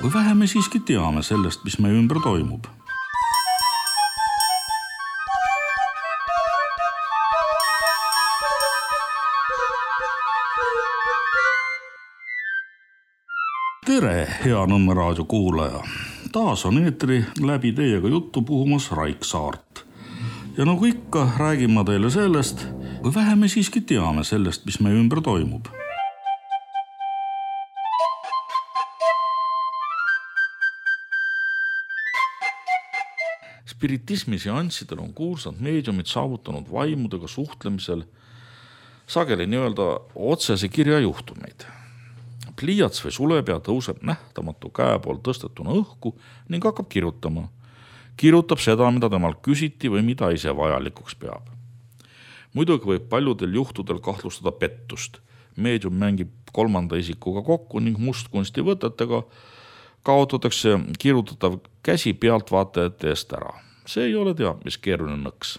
Või vähe me siiski teame sellest, mis meie ümber toimub. Tere, hea Nõmme raadio kuulaja! Taas on eetri läbi teiega juttu puhumas Raik Saart. Ja nagu ikka, räägin ma teile sellest, või vähe me siiski teame sellest, mis meie ümber toimub. Spiritismi seanssidel on kuulsad meediumid saavutanud vaimudega suhtlemisel sageli nii-öelda otsese kirja juhtumeid. Pliiats või sulepea tõuseb nähtamatu käe pool tõstetuna õhku ning hakkab kirjutama. Kirjutab seda, mida temalt küsiti või mida ise vajalikuks peab. Muidugi võib paljudel juhtudel kahtlustada pettust. Meedium mängib kolmanda isikuga kokku ning mustkunsti võtetega kaotatakse kirjutatav käsi pealtvaatajate eest ära. See ei ole teab, mis keeruline nõks.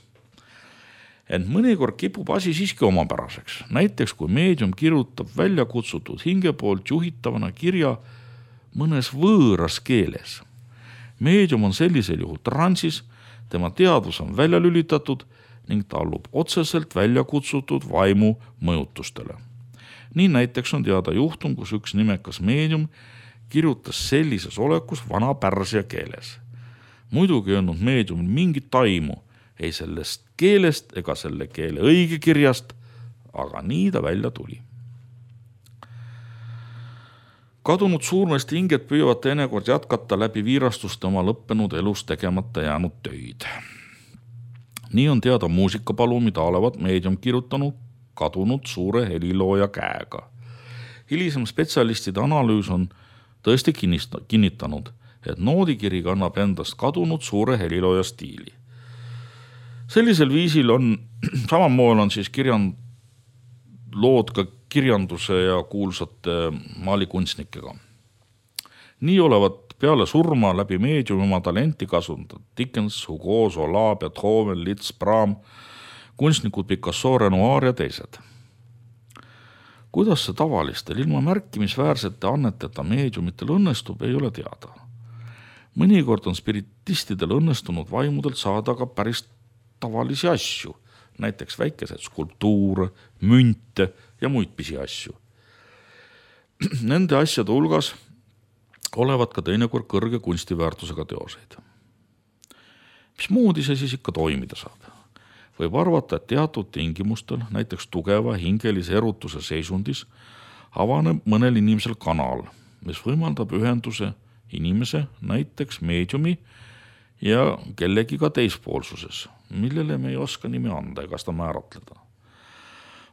Ent mõnikord kipub asi siiski omapäraseks. Näiteks kui meedium kirjutab välja kutsutud hinge poolt juhitavana kirja mõnes võõras keeles. Meedium on sellisel juhul transis, tema teadvus on välja lülitatud ning ta allub otseselt välja kutsutud vaimu mõjutustele. Nii näiteks on teada juhtum, kus üks nimekas meedium kirjutas sellises olekus vana pärsia keeles. Muidugi ei olnud meediumil mingit taimu ei sellest keelest ega selle keele õigekirjast, aga nii ta välja tuli. Kadunud suurmeeste hinged püüavad teinekord jätkata läbi viirastuste oma lõppenud elus tegemata jäänud töid. Nii on teada muusikapalu, mida olevat meedium kirjutanud kadunud suure helilooja käega. Hilisem spetsialistide analüüs on tõesti kinnitanud, et noodikiri kannab endast kadunud suure helilooja stiili. Sellisel viisil on, samamoodi on siis lood ka kirjanduse ja kuulsate maalikunstnikega. Nii olevat peale surma läbi meediumi oma talenti kasutanud Dickens, Hugo, Zola, Beethoven, Liszt, Brahm, kunstnikud Picasso, Renoir ja teised. Kuidas see tavalistel ilma märkimisväärsete anneteta meediumitel õnnestub, ei ole teada. Mõnikord on spiritistidel õnnestunud vaimudelt saada ka päris tavalisi asju, näiteks väikesed skulptuure, münte ja muid pisiasju. Nende asjade hulgas olevat ka teinekord kõrge kunstiväärtusega teoseid. Mismoodi see siis ikka toimida saab? Võib arvata, et teatud tingimustel, näiteks tugeva hingelise erutuse seisundis, avaneb mõnel inimesel kanal, mis võimaldab ühenduse inimese, näiteks meediumi ja kellegi ka teispoolsuses, millele me ei oska nime anda ega seda määratleda.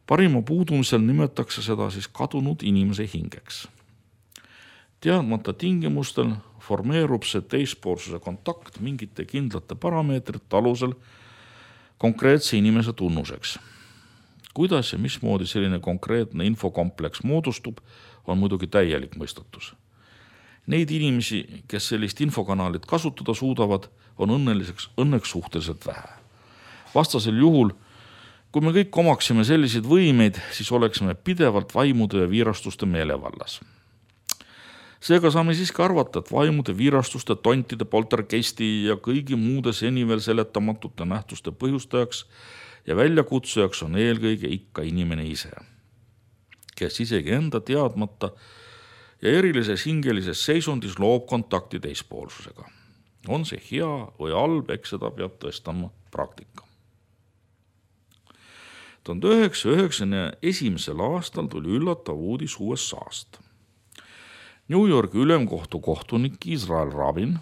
Parima puudumisel nimetakse seda siis kadunud inimese hingeks. Teadmata tingimustel formeerub see teispoolsuse kontakt mingite kindlate parameetrite alusel konkreetse inimese tunnuseks. Kuidas ja mismoodi selline konkreetne infokompleks moodustub, on muidugi täielik mõistatus. Neid inimesi, kes sellist infokanalit kasutada suudavad, on õnneks suhteliselt vähe. Vastasel juhul, kui me kõik omaksime selliseid võimeid, siis oleksime pidevalt vaimude ja viirastuste meelevallas. Seega saame siiski arvata, et vaimude, viirastuste, tontide, poltergeisti ja kõigi muude seni veel seletamatute nähtuste põhjustajaks ja väljakutsujaks on eelkõige ikka inimene ise, kes isegi enda teadmata ja erilises hingelises seisundis loob kontakti teispoolsusega. On see hea või halb, eks seda peab tõestama praktika. 1991. aastal tuli üllatav uudis USA-st. New Yorgi ülemkohtu kohtunik Israel Rabin,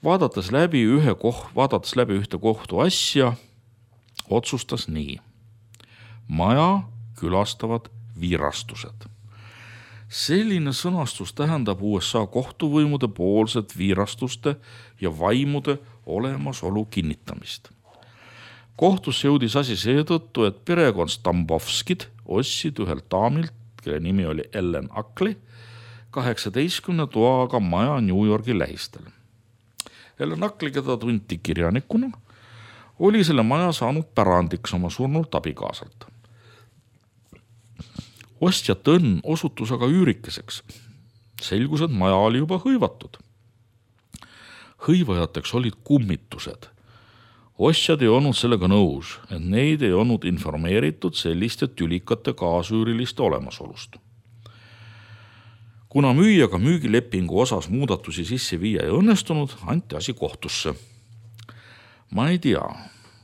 vaadates läbi ühte kohtu asja, otsustas nii. Maja külastavad viirastused. Selline sõnastus tähendab USA kohtuvõimude poolset viirastuste ja vaimude olemasolu kinnitamist. Kohtusse jõudis asi seetõttu, et perekond Stambovskid ostsid ühelt daamilt, kelle nimi oli Ellen Ackley, 18 toaga maja New Yorgi lähistel. Ellen Ackley, keda tunti kirjanikuna, oli selle maja saanud pärandiks oma surnult abikaasalt. Ostjate õnn osutus aga üürikeseks. Selgus, et maja oli juba hõivatud. Hõivajateks olid kummitused. Ostjad ei olnud sellega nõus, et neid ei olnud informeeritud selliste tülikate kaasüüriliste olemasolust. Kuna müüjaga müügilepingu osas muudatusi sisse viia ei õnnestunud, anti asi kohtusse. Ma ei tea,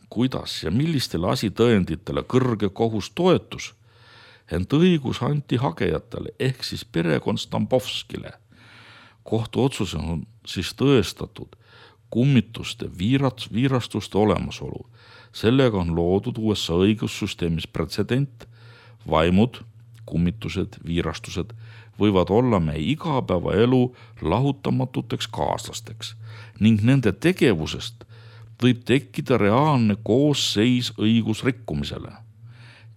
kuidas ja millistele asitõenditele kõrge kohus toetus, ent õigus anti hagejatele ehk siis perekond Stambovskile. Kohtu otsus on siis tõestatud kummituste viirastuste olemasolu. Sellega on loodud USA õigussüsteemis pretsedent. Vaimud, kummitused, viirastused võivad olla meie igapäevaelu lahutamatuteks kaaslasteks ning nende tegevusest võib tekkida reaalne koosseis õigusrikkumisele.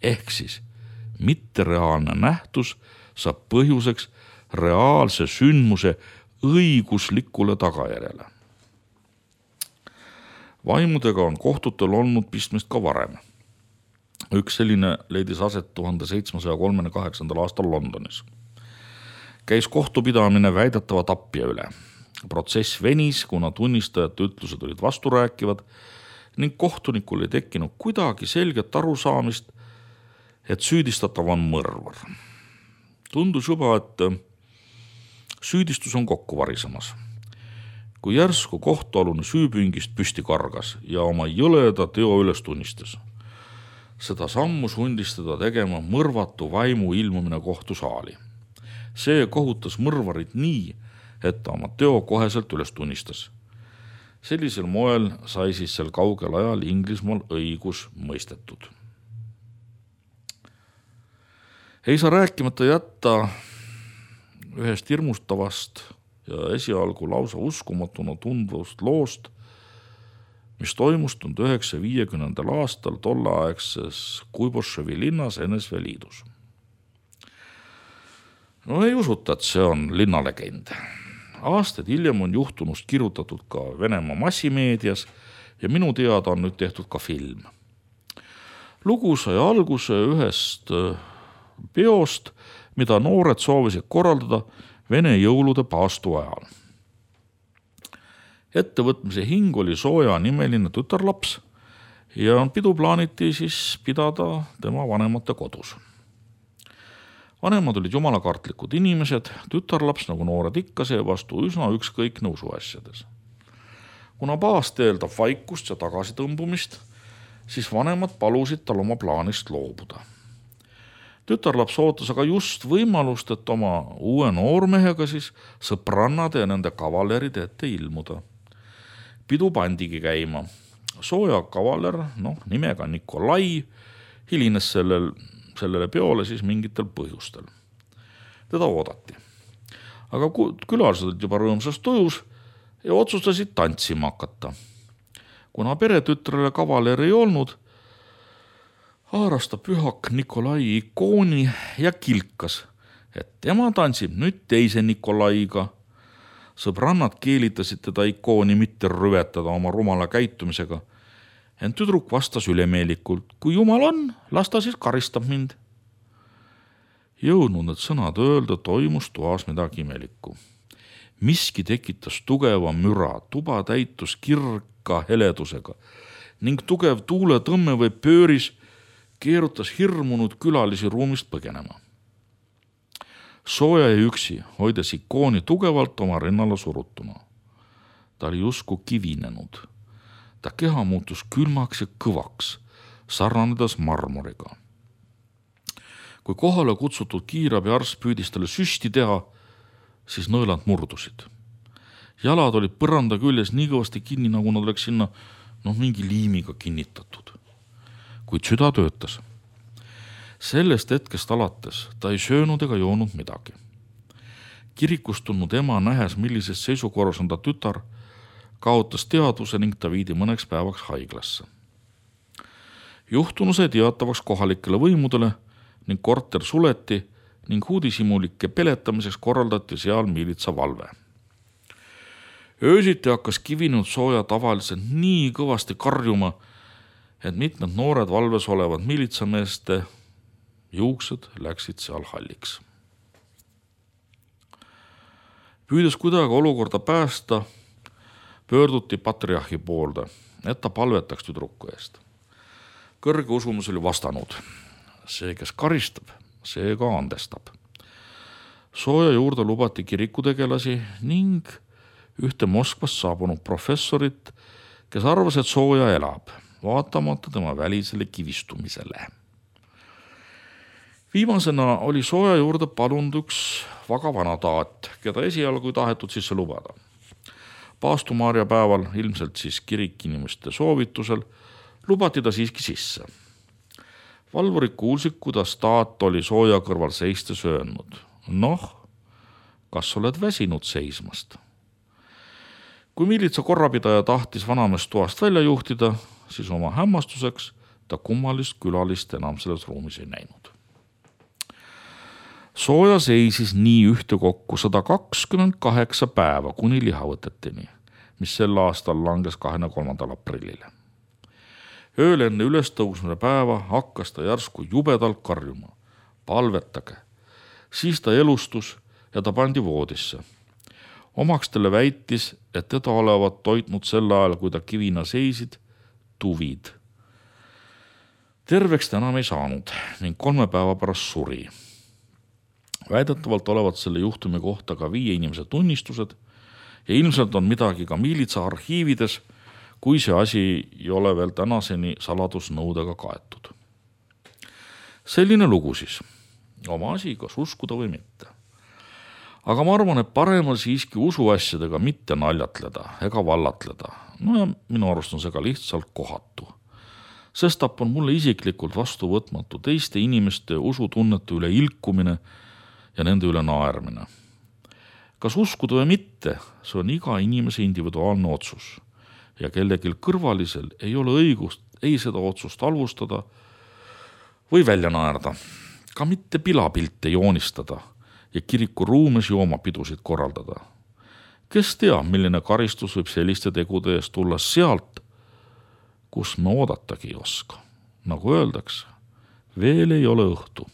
Ehk siis mittereaalne nähtus saab põhjuseks reaalse sündmuse õiguslikule tagajärjele. Vaimudega on kohtutel olnud pistmist ka varem. Üks selline leidis aset 1738. aastal Londonis. Käis kohtupidamine väidetava tapja üle. Protsess venis, kuna tunnistajate ütlused olid vasturääkivad ning kohtunikul ei tekkinud kuidagi selget arusaamist, et süüdistatav on mõrvar. Tundus juba, et süüdistus on kokku varisemas. Kui järsku kohtualune süüpüngist püsti kargas ja oma jõleda teo üles tunnistas. Seda sammu sundis teda tegema mõrvatu vaimu ilmumine kohtusaali. See kohutas mõrvarit nii, et ta oma teo koheselt üles tunnistas. Sellisel moel sai siis sel kaugel ajal Inglismaal õigus mõistetud. Ei saa rääkimata jätta ühest hirmustavast ja esialgu lausa uskumatuna tundvast loost, mis toimus 1950. aastal tolleaegses Kuiboševi linnas NSV Liidus. No ei usuta, et see on linnalegend. Aastaid hiljem on juhtunust kirjutatud ka Venemaa massimeedias ja minu teada on nüüd tehtud ka film. Lugu sai alguse ühest peost, mida noored soovisid korraldada Vene jõulude paastu ajal. Ettevõtmise hing oli Sooja nimeline tütarlaps ja pidu plaaniti siis pidada tema vanemate kodus. Vanemad olid jumalakartlikud inimesed, tütarlaps nagu noored ikka seevastu üsna ükskõikne usuasjades. Kuna paast eeldab vaikust ja tagasitõmbumist, siis vanemad palusid tal oma plaanist loobuda. Tütarlaps ootas aga just võimalust, et oma uue noormehega siis sõbrannade ja nende kavaleride ette ilmuda. Pidu pandigi käima. Sooja kavaler, nimega Nikolai, hilines sellele peole siis mingitel põhjustel. Teda oodati. Aga külalised olid juba rõõmsas tujus ja otsustasid tantsima hakata. Kuna peretütrele kavaler ei olnud, haaras ta pühak Nikolai ikooni ja kilkas, et tema tantsib nüüd teise Nikolaiga. Sõbrannad keelitasid teda ikooni mitte rüvetada oma rumala käitumisega, ent tüdruk vastas ülemeelikult, kui jumal on, las ta siis karistab mind. Jõudnud need sõnad öelda, toimus toas midagi imelikku. Miski tekitas tugeva müra, tuba täitus kirka heledusega ning tugev tuuletõmme või pööris keerutas hirmunud külalisi ruumist põgenema. Sooja ja üksi hoides ikooni tugevalt oma rinnale surutuna. Ta oli jusku kivinenud. Ta keha muutus külmaks ja kõvaks, sarnanedes marmoriga. Kui kohale kutsutud kiirabiarst püüdis talle süsti teha, siis nõelad murdusid. Jalad olid põranda küljes nii kõvasti kinni, nagu nad oleks sinna mingi liimiga kinnitatud. Kuid süda töötas. Sellest hetkest alates ta ei söönud ega joonud midagi. Kirikust tulnud ema nähes, millises seisukorras on ta tütar, kaotas teadvuse ning ta viidi mõneks päevaks haiglasse. Juhtunu sai teatavaks kohalikele võimudele ning korter suleti ning uudishimulike peletamiseks korraldati seal miilitsavalve. Öösiti hakkas kivinud Sooja tavaliselt nii kõvasti karjuma, et mitmed noored valves olevad miilitsameeste juuksed läksid seal halliks. Püüdes kuidagi olukorda päästa, pöörduti patriarhi poolde, et ta palvetaks tüdruku eest. Kõrge usumus oli vastanud: see, kes karistab, see ka andestab. Sooja juurde lubati kirikutegelasi ning ühte Moskvast saabunud professorit, kes arvas, et Sooja elab, vaatamata tema välisele kivistumisele. Viimasena oli Sooja juurde palunud üks väga vana taat, keda esialgu ei tahetud sisse lubada. Paastumaarja päeval, ilmselt siis kirikinimeste soovitusel, lubati ta siiski sisse. Valvurid kuulsid, kuidas taat oli Sooja kõrval seistes öelnud: noh, kas oled väsinud seismast? Kui miilitsa korrapidaja tahtis vanameest toast välja juhtida, siis oma hämmastuseks ta kummalist külalist enam selles ruumis ei näinud. Sooja seisis nii ühtekokku 128 päeva kuni lihavõteteni, mis sel aastal langes 23. aprillile. Ööl enne ülestõusmine päeva hakkas ta järsku jubedalt karjuma: palvetage. Siis ta elustus ja ta pandi voodisse. Omakstele väitis, et teda olevat toitnud sel ajal, kui ta kivina seisid, tuvid. Terveks ta enam ei saanud ning 3 päeva pärast suri. Väidetavalt olevat selle juhtumi kohta ka 5 inimese tunnistused ja ilmselt on midagi ka miilitsa arhiivides, kui see asi ei ole veel tänaseni saladusnõudega kaetud. Selline lugu siis. Oma asi, kas uskuda või mitte. Aga ma arvan, et parem on siiski usuasjadega mitte naljatleda ega vallatleda. No ja minu arust on see ka lihtsalt kohatu. Sestap on mulle isiklikult vastuvõtmatu teiste inimeste usutunnete üle ilkumine ja nende üle naermine. Kas uskuda või mitte, see on iga inimese individuaalne otsus ja kellelgi kõrvalisel ei ole õigust ei seda otsust halvustada või välja naerda, ka mitte pilapilte joonistada ja kiriku ruumes joomapidusid korraldada. Kes teab, milline karistus võib selliste tegude eest tulla sealt, kus me oodatagi ei oska. Nagu öeldakse, veel ei ole õhtu.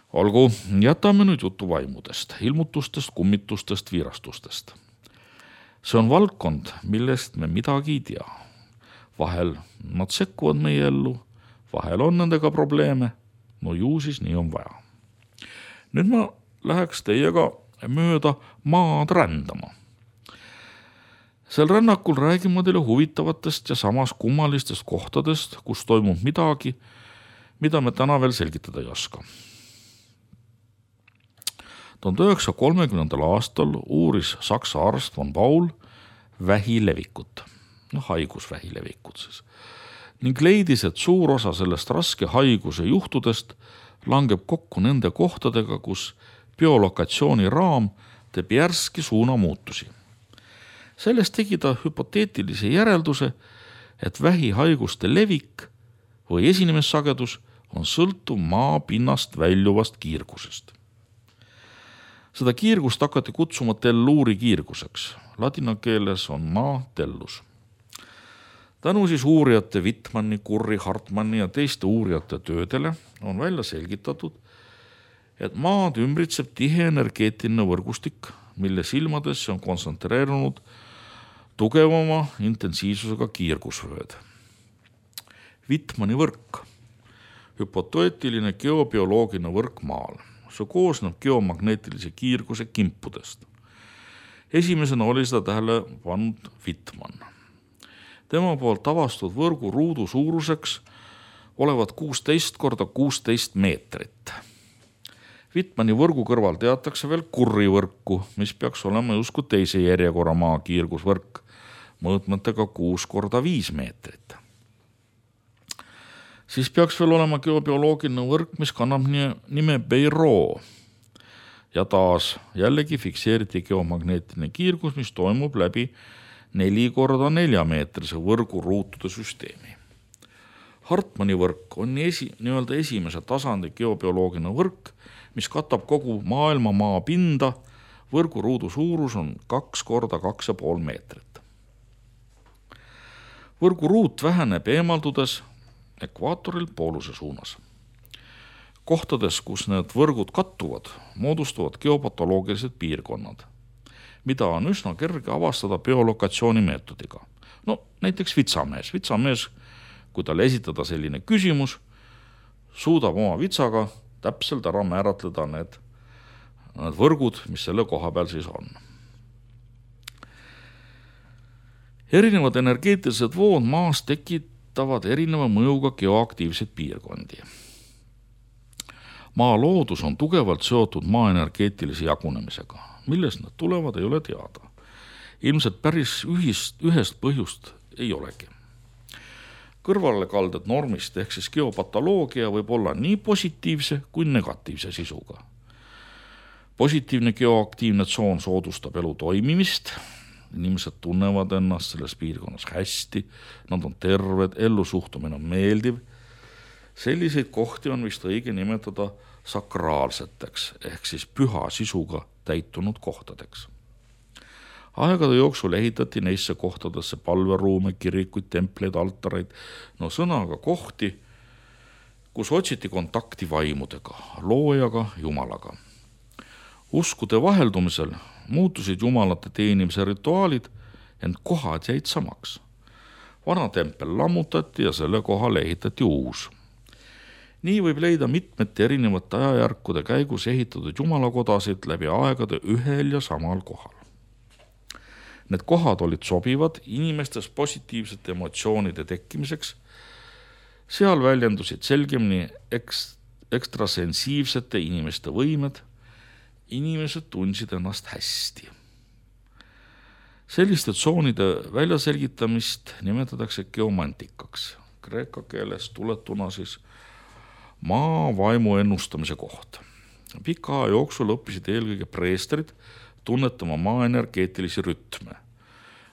Olgu, jätame nüüd jutu vaimudest, ilmutustest, kummitustest, viirastustest. See on valdkond, millest me midagi ei tea. Vahel nad sekkuvad meie ellu, vahel on nendega probleeme, no ju siis nii on vaja. Nüüd ma läheks teiega mööda maad rändama. Sel rännakul räägin ma teile huvitavatest ja samas kummalistest kohtadest, kus toimub midagi, mida me täna veel selgitada ei oska. 1930. aastal uuris saksa arst von Paul vähilevikut, haigusvähilevikut siis, ning leidis, et suur osa sellest raske haiguse juhtudest langeb kokku nende kohtadega, kus biolokatsiooni raam teeb järski suunamuutusi. Sellest tegi ta hüpoteetilise järelduse, et vähihaiguste levik või esinemissagedus on sõltuv maa pinnast väljuvast kiirgusest. Seda kiirgust hakati kutsuma telluuri kiirguseks. Ladina keeles on maa tellus. Tänu siis uurijate Wittmanni, Kurri, Hartmanni ja teiste uurijate töödele on välja selgitatud, et maad ümbritseb tihe energeetiline võrgustik, mille silmadesse on kontsentreerunud tugevama intensiivsusega kiirgusvööd. Wittmanni võrk, hüpoteetiline geobioloogiline võrk maal. See koosneb geomagneetilise kiirguse kimpudest. Esimesena oli seda tähele pannud Wittmann. Tema poolt avastatud võrgu ruudu suuruseks olevat 16 × 16 meetrit. Wittmanni võrgu kõrval teatakse veel Kurri võrku, mis peaks olema justkui teise järjekorra maa kiirgusvõrk, mõõtmetega 6 × 5 meetrit. Siis peaks veel olema geobioloogiline võrk, mis kannab nime Beiro. Ja taas jällegi fikseeriti geomagneetiline kiirgus, mis toimub läbi 4 × 4 meetrise võrgu ruutude süsteemi. Hartmanni võrk on nii-öelda esimese tasandi geobioloogiline võrk, mis katab kogu maailma maa pinda. Võrgu ruudu suurus on 2 × 2,5 meetrit. Võrgu ruut väheneb eemaldudes ekvaatoril pooluse suunas. Kohtades, kus need võrgud kattuvad, moodustuvad geopatoloogilised piirkonnad, mida on üsna kerge avastada biolokatsiooni meetodiga. No näiteks vitsamees. Vitsamees, kui talle esitada selline küsimus, suudab oma vitsaga täpselt ära määratleda need võrgud, mis selle koha peal siis on. Erinevad energeetilised vood maas tekitavad erineva mõjuga geoaktiivseid piirkondi. Maa loodus on tugevalt seotud maa energeetilise jagunemisega. Millest nad tulevad, ei ole teada. Ilmselt päris ühest põhjust ei olegi. Kõrvalekalded normist ehk siis geopatoloogia võib olla nii positiivse kui negatiivse sisuga. Positiivne geoaktiivne tsoon soodustab elu toimimist, inimesed tunnevad ennast selles piirkonnas hästi, nad on terved, ellusuhtumine on meeldiv. Selliseid kohti on vist õige nimetada sakraalseteks ehk siis püha sisuga täitunud kohtadeks. Aegade jooksul ehitati neisse kohtadesse palveruume, kirikuid, templeid, altareid, sõnaga kohti, kus otsiti kontakti vaimudega, loojaga, jumalaga. Uskude vaheldumisel muutusid jumalate teenimise rituaalid, ent kohad jäid samaks. Vana tempel lammutati ja selle kohale ehitati uus. Nii võib leida mitmete erinevate ajajärkude käigus ehitatud jumalakodasid läbi aegade ühel ja samal kohal. Need kohad olid sobivad inimestes positiivsete emotsioonide tekkimiseks. Seal väljendusid selgemini ekstrasensiivsete inimeste võimed. Inimesed tundsid ennast hästi. Selliste tsoonide väljaselgitamist nimetatakse geomantikaks. Kreeka keeles tuletuna siis maa vaimu ennustamise koht. Pika aja jooksul õppisid eelkõige preestrid tunnetama maa energeetilisi rütme.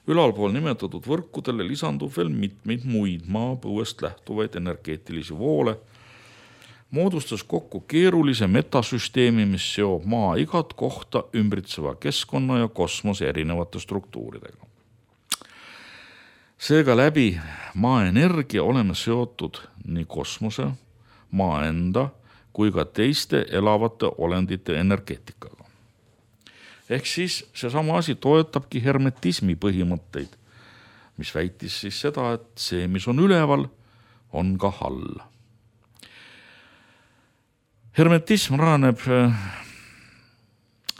Ülalpool nimetatud võrkudele lisandub veel mitmeid muid maapõuest lähtuvaid energeetilisi voole, moodustas kokku keerulise metasüsteemi, mis seob maa igat kohta ümbritseva keskkonna ja kosmose erinevate struktuuridega. Seega läbi maa energia oleme seotud nii kosmose, maa enda kui ka teiste elavate olendite energeetikaga. Ehk siis seesama asi toetabki hermetismi põhimõtteid, mis väitis siis seda, et see, mis on üleval, on ka all. Hermetism rajaneb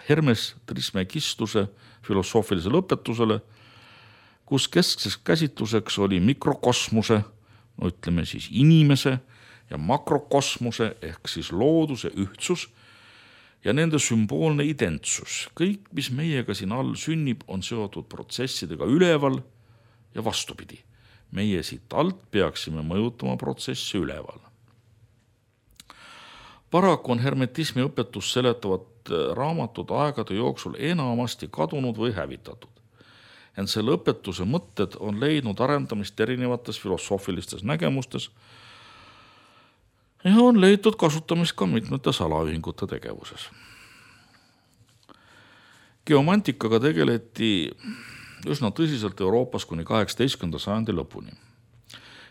Hermes Trismegistuse filosoofilisele õpetusele, kus keskseks käsitluseks oli mikrokosmose, ütleme siis inimese ja makrokosmose ehk siis looduse ühtsus ja nende sümboolne identsus. Kõik, mis meiega siin all sünnib, on seotud protsessidega üleval ja vastupidi. Meie siit alt peaksime mõjutama protsessi üleval. Paraku on hermetismi õpetus seletavad raamatud aegade jooksul enamasti kadunud või hävitatud. Ent selle õpetuse mõtted on leidnud arendamist erinevates filosoofilistes nägemustes ja on leitud kasutamist ka mitmete salaühingute tegevuses. Geomantikaga tegeleti üsna tõsiselt Euroopas kuni 18. sajandi lõpuni.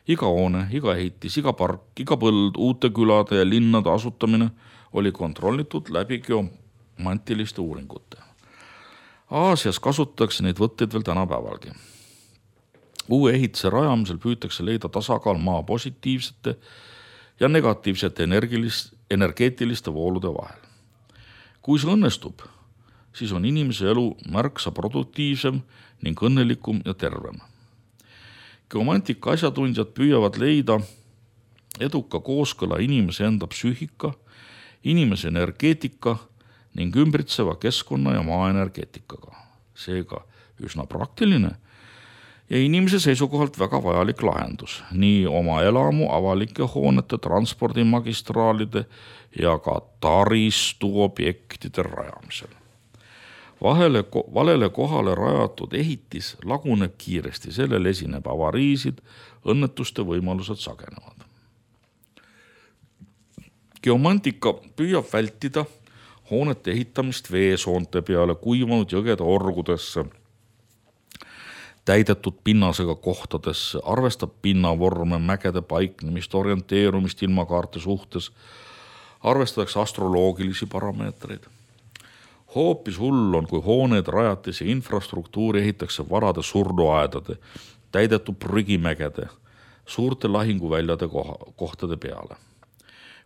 Iga hoone, iga ehitis, iga park, iga põld, uute külade ja linnade asutamine oli kontrollitud läbi geomantiliste uuringute. Aasias kasutatakse neid võtteid veel tänapäevalgi. Uue ehitise rajamisel püütakse leida tasakaal maa positiivsete ja negatiivsete energeetiliste voolude vahel. Kui see õnnestub, siis on inimese elu märksa produktiivsem ning õnnelikum ja tervem. Geomantika asjatundjad püüavad leida eduka kooskõla inimese enda psüühika, inimese energeetika ning ümbritseva keskkonna ja maa energeetikaga. Seega üsna praktiline ja inimese seisukohalt väga vajalik lahendus nii oma elamu, avalike hoonete, transpordimagistraalide ja ka taristuobjektide rajamisel. Valele kohale rajatud ehitis laguneb kiiresti, sellel esineb avariisid, õnnetuste võimalused sagenevad. Geomantika püüab vältida hoonete ehitamist veesoonte peale, kuivanud jõgede orgudesse, täidetud pinnasega kohtadesse, arvestab pinnavorme, mägede paiknemist, orienteerumist ilmakaarte suhtes, arvestatakse astroloogilisi parameetreid. Hoopis hull on, kui hooneid, rajatisi infrastruktuuri ehitakse varade surnuaedade, täidetud prügimägede, suurte lahinguväljade kohtade peale.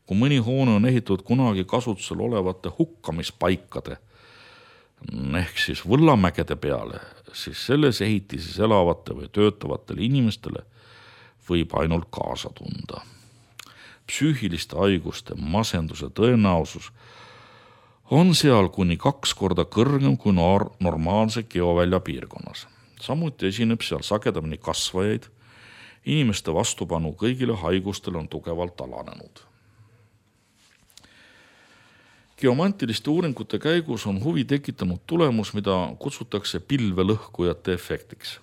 Kui mõni hoone on ehitatud kunagi kasutusel olevate hukkamispaikade ehk siis võllamägede peale, siis selles ehitises elavate või töötavatele inimestele võib ainult kaasa tunda. Psüühiliste haiguste, masenduse tõenäosus on seal kuni 2 korda kõrgem kui normaalse geovälja piirkonnas. Samuti esineb seal sagedamini kasvajaid, inimeste vastupanu kõigile haigustele on tugevalt alanenud. Geomantiliste uuringute käigus on huvi tekitanud tulemus, mida kutsutakse pilvelõhkujate efektiks.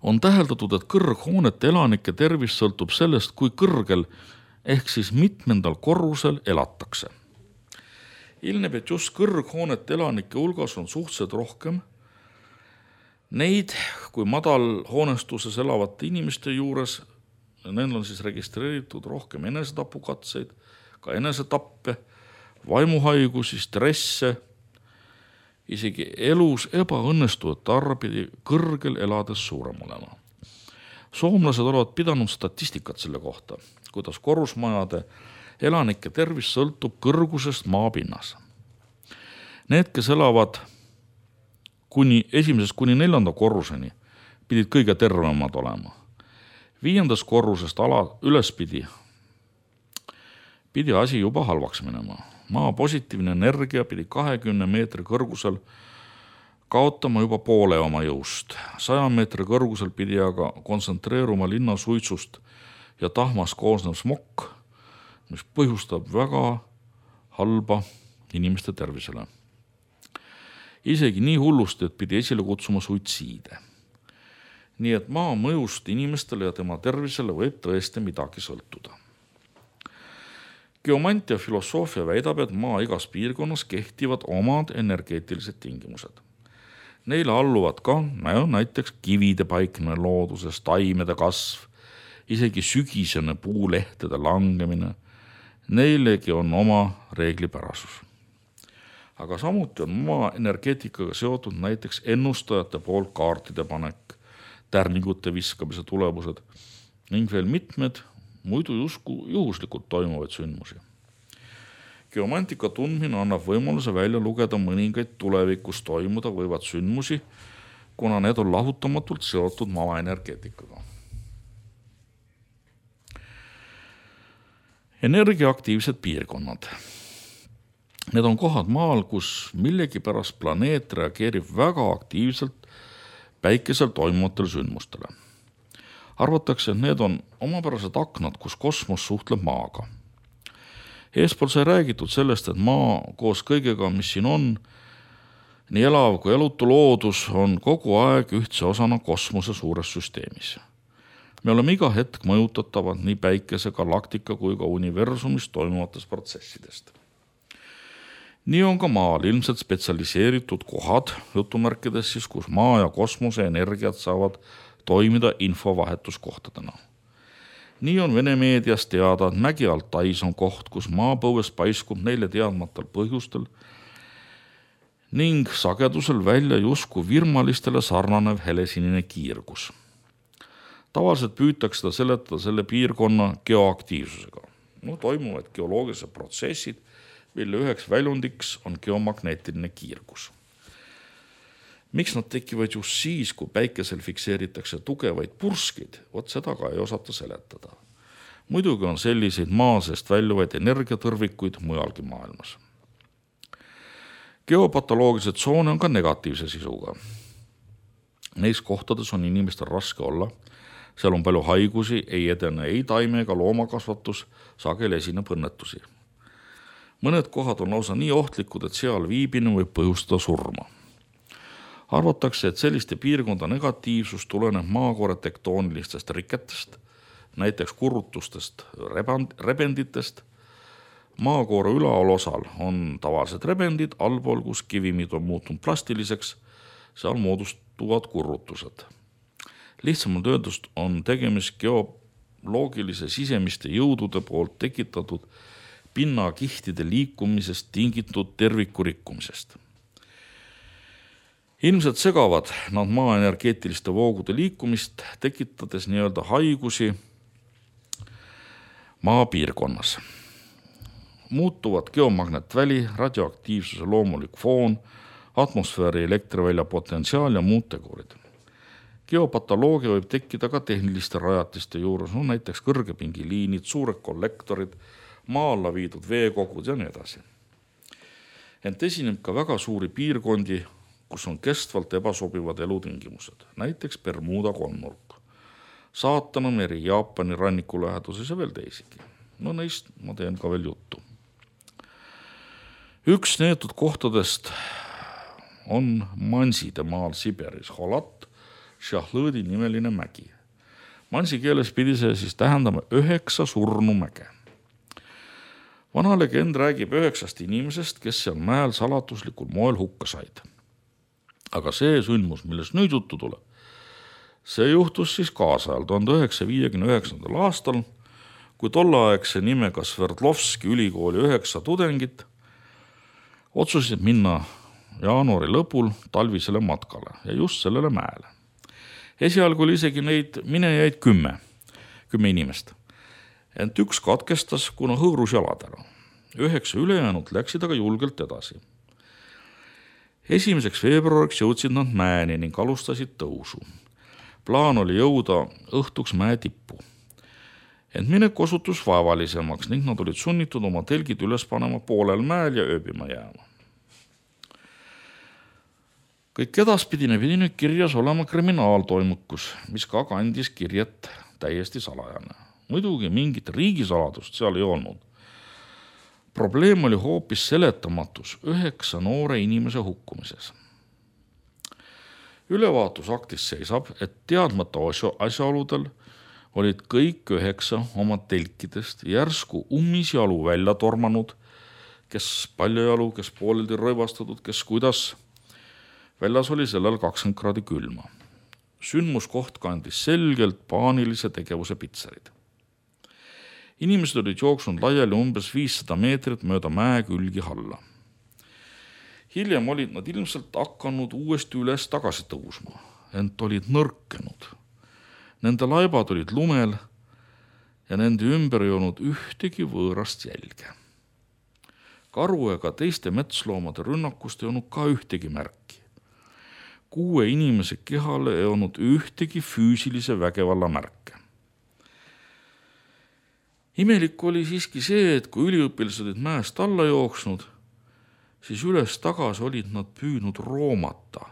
On täheldatud, et kõrghoonete elanike tervis sõltub sellest, kui kõrgel ehk siis mitmendal korrusel elatakse. Ilmneb, et just kõrghoonete elanike hulgas on suhteliselt rohkem neid, kui madal hoonestuses elavate inimeste juures, neil on siis registreeritud rohkem enesetapukatseid, ka enesetappe, vaimuhaigusi, stresse, isegi elus ebaõnnestujate arv pidi kõrgel elades suurem olema. Soomlased olevat pidanud statistikat selle kohta, kuidas korrusmajade elanike tervis sõltub kõrgusest maapinnas. Need, kes elavad esimesest kuni 4. korruseni, pidid kõige tervemad olema. 5. korrusest ülespidi pidi asi juba halvaks minema. Maa positiivne energia pidi 20 meetri kõrgusel kaotama juba poole oma jõust. 100 meetri kõrgusel pidi aga kontsentreeruma linna suitsust ja tahmast koosnev smokk, mis põhjustab väga halba inimeste tervisele. Isegi nii hullusti, et pidi esile kutsuma suitsiide. Nii et maa mõjust inimestele ja tema tervisele võib tõesti midagi sõltuda. Geomantia filosoofia väidab, et maa igas piirkonnas kehtivad omad energeetilised tingimused. Neile alluvad ka näiteks kivide paiknemine looduses, taimede kasv, isegi sügisene puulehtede langemine. Neilegi on oma reeglipärasus. Aga samuti on maa energeetikaga seotud näiteks ennustajate poolt kaartide panek, tärningute viskamise tulemused ning veel mitmed muidu juhuslikult toimuvaid sündmusi. Geomantika tundmine annab võimaluse välja lugeda mõningaid tulevikus toimuda võivad sündmusi, kuna need on lahutamatult seotud maa energeetikaga. Energiaaktiivsed piirkonnad. Need on kohad maal, kus millegipärast planeet reageerib väga aktiivselt päikesel toimuvatele sündmustele. Arvatakse, et need on omapärased aknad, kus kosmos suhtleb maaga. Eespool sai räägitud sellest, et maa koos kõigega, mis siin on, nii elav kui elutu loodus, on kogu aeg ühtse osana kosmose suures süsteemis. Me oleme iga hetk mõjutatavad nii päikese, galaktika kui ka universumis toimuvatest protsessidest. Nii on ka maal ilmselt spetsialiseeritud kohad, jutumärkides siis, kus maa ja kosmose energiat saavad toimida infovahetuskohtadena. Nii on Vene meedias teada, et Mägi Altais on koht, kus maapõues paiskub neile teadmatal põhjustel ning sagedusel välja justkui virmalistele sarnanev helesinine kiirgus. Tavaliselt püütakse seda seletada selle piirkonna geoaktiivsusega. Toimuvad geoloogilised protsessid, mille üheks väljundiks on geomagneetiline kiirgus. Miks nad tekivad just siis, kui päikesel fikseeritakse tugevaid purskid, seda ka ei osata seletada. Muidugi on selliseid maa seest väljuvaid energiatõrvikuid mujalgi maailmas. Geopatoloogilised tsoone on ka negatiivse sisuga. Neis kohtades on inimestel raske olla, seal on palju haigusi, ei edene ei taime ega loomakasvatus, sageli esineb õnnetusi. Mõned kohad on lausa nii ohtlikud, et seal viibinu võib põhjustada surma. Arvatakse, et selliste piirkonda negatiivsus tuleneb maakoore tektoonilistest riketest, näiteks kurutustest, rebenditest. Maakoore ülaolosal on tavalised rebendid, allpool, kus kivimid on muutunud plastiliseks, seal moodustuvad kurrutused. Lihtsamalt öeldust on tegemist loogilise sisemiste jõudude poolt tekitatud pinnakihtide liikumisest tingitud terviku rikkumisest. Ilmselt segavad nad maa energeetiliste voogude liikumist, tekitades nii-öelda haigusi maapiirkonnas. Muutuvad geomagnetväli, radioaktiivsuse loomulik foon, atmosfääri elektrivälja potentsiaal ja muud tegurid. Geopatoloogia võib tekkida ka tehniliste rajatiste juures, näiteks kõrgepingiliinid, suured kollektorid, maa alla viidud veekogud ja nii edasi. Ent esineb ka väga suuri piirkondi, kus on kestvalt ebasobivad elutingimused, näiteks Bermuda kolmnurk, Saatana meri Jaapani ranniku läheduses ja veel teisigi. Neist ma teen ka veel juttu. Üks neetud kohtadest on Manside maal Siberis, Holat Shahlõdi nimeline mägi. Mansi keeles pidi see siis tähendama 9 surnumäge. Vana legend räägib 9 inimesest, kes seal mäel salatuslikul moel hukka said. Aga see sündmus, millest nüüd juttu tuleb, see juhtus siis kaasajal 1959. aastal, kui tolleaegse nimega Sverdlovski ülikooli 9 tudengit otsusid minna jaanuari lõpul talvisele matkale ja just sellele mäele. Esialgu oli isegi neid minejaid 10 inimest. Ent üks katkestas, kuna hõõrus jalad ära. 9 ülejäänud läksid aga julgelt edasi. 1. veebruariks jõudsid nad mäeni ning alustasid tõusu. Plaan oli jõuda õhtuks mäe tippu. Ent minek osutus vaevalisemaks ning nad olid sunnitud oma telgid üles panema poolel mäel ja ööbima jääma. Kõik edaspidine pidi nüüd kirjas olema kriminaaltoimukus, mis ka kandis kirjet täiesti salajane. Muidugi mingit riigisaladust seal ei olnud. Probleem oli hoopis seletamatus 9 noore inimese hukkumises. Ülevaatusaktis seisab, et teadmata asjaoludel olid kõik 9 oma telkidest järsku ummisjalu välja tormanud, kes paljajalu, kes pooleldi rõivastatud, kes kuidas. Väljas oli sellel 20 kraadi külma. Sündmuskoht kandis selgelt paanilise tegevuse pitserid. Inimesed olid jooksnud laiali umbes 500 meetrit mööda mäe külgi alla. Hiljem olid nad ilmselt hakanud uuesti üles tagasi tõusma, ent olid nõrkenud. Nende laibad olid lumel ja nende ümber ei olnud ühtegi võõrast jälge. Karu ega teiste metsloomade rünnakust ei olnud ka ühtegi märki. 6 inimese kehale ei olnud ühtegi füüsilise vägevalla märke. Imelik oli siiski see, et kui üliõpilased olid mäest alla jooksnud, siis üles tagasi olid nad püüdnud roomata,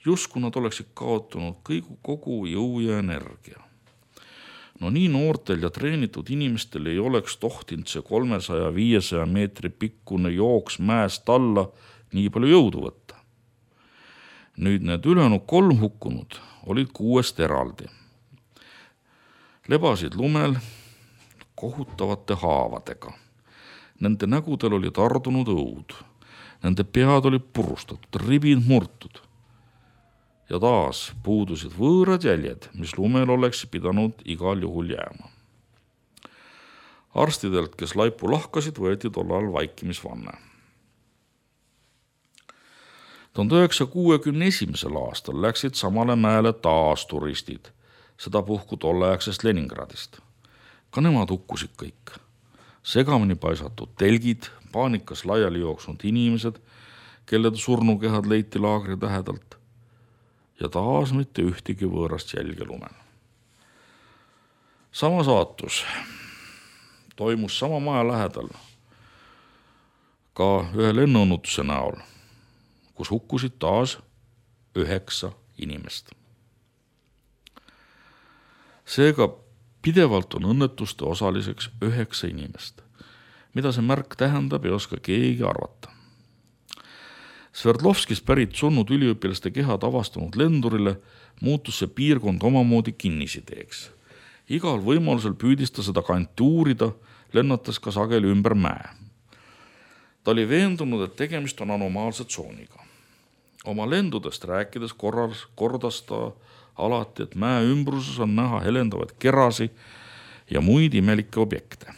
justkui nad oleksid kaotanud kogu jõu ja energia. Nii noortel ja treenitud inimestel ei oleks tohtinud see 300-500 meetri pikkune jooks mäest alla nii palju jõudu võtta. Nüüd need ülejäänud 3 hukkunud olid 6 eraldi. Lebasid lumel kohutavate haavadega. Nende nägudel oli tardunud õud. Nende pead olid purustatud, ribid murtud. Ja taas puudusid võõrad jäljed, mis lumel oleks pidanud igal juhul jääma. Arstidelt, kes laipu lahkasid, võeti tollal vaikimisvanne. 1961. aastal läksid samale mäele taas turistid, seda puhku tolleaegsest Leningradist. Ka nemad hukkusid kõik. Segamini paisatud telgid, paanikas laiali jooksnud inimesed, kelle surnukehad leiti laagri tähedalt ja taas mitte ühtegi võõrast jälge lumel. Sama saatus toimus sama maja lähedal ka ühe lennuõnnutuse näol, kus hukkusid taas 9 inimest. Seega pidevalt on õnnetuste osaliseks 9 inimest. Mida see märk tähendab, ei oska keegi arvata. Sverdlovskis pärit surnud üliõpilaste kehad avastanud lendurile muutus see piirkond omamoodi kinnisideeks. Igal võimalusel püüdis ta seda kanti uurida, lennates ka sageli ümber mäe. Ta oli veendunud, et tegemist on anomaalse tsooniga. Oma lendudest rääkides kordas ta alati, et mäe ümbruses on näha helendavaid kerasi, ja muid imelikke objekte.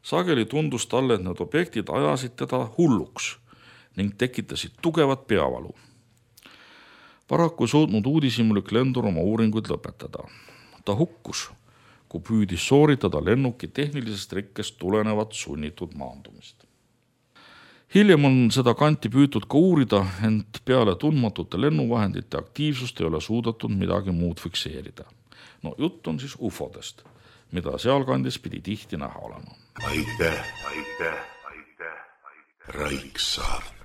Sageli tundus talle, et need objektid ajasid teda hulluks ning tekitasid tugevat peavalu. Paraku ei suutnud uudishimulik lendur oma uuringuid lõpetada. Ta hukkus, kui püüdis sooritada lennuki tehnilisest rikkest tulenevat sunnitud maandumist. Hiljem on seda kanti püütud ka uurida, ent peale tundmatute lennuvahendite aktiivsust ei ole suudetud midagi muud fikseerida. Jutt on siis ufodest, mida sealkandis pidi tihti näha olema. Aitäh, Raiksaart.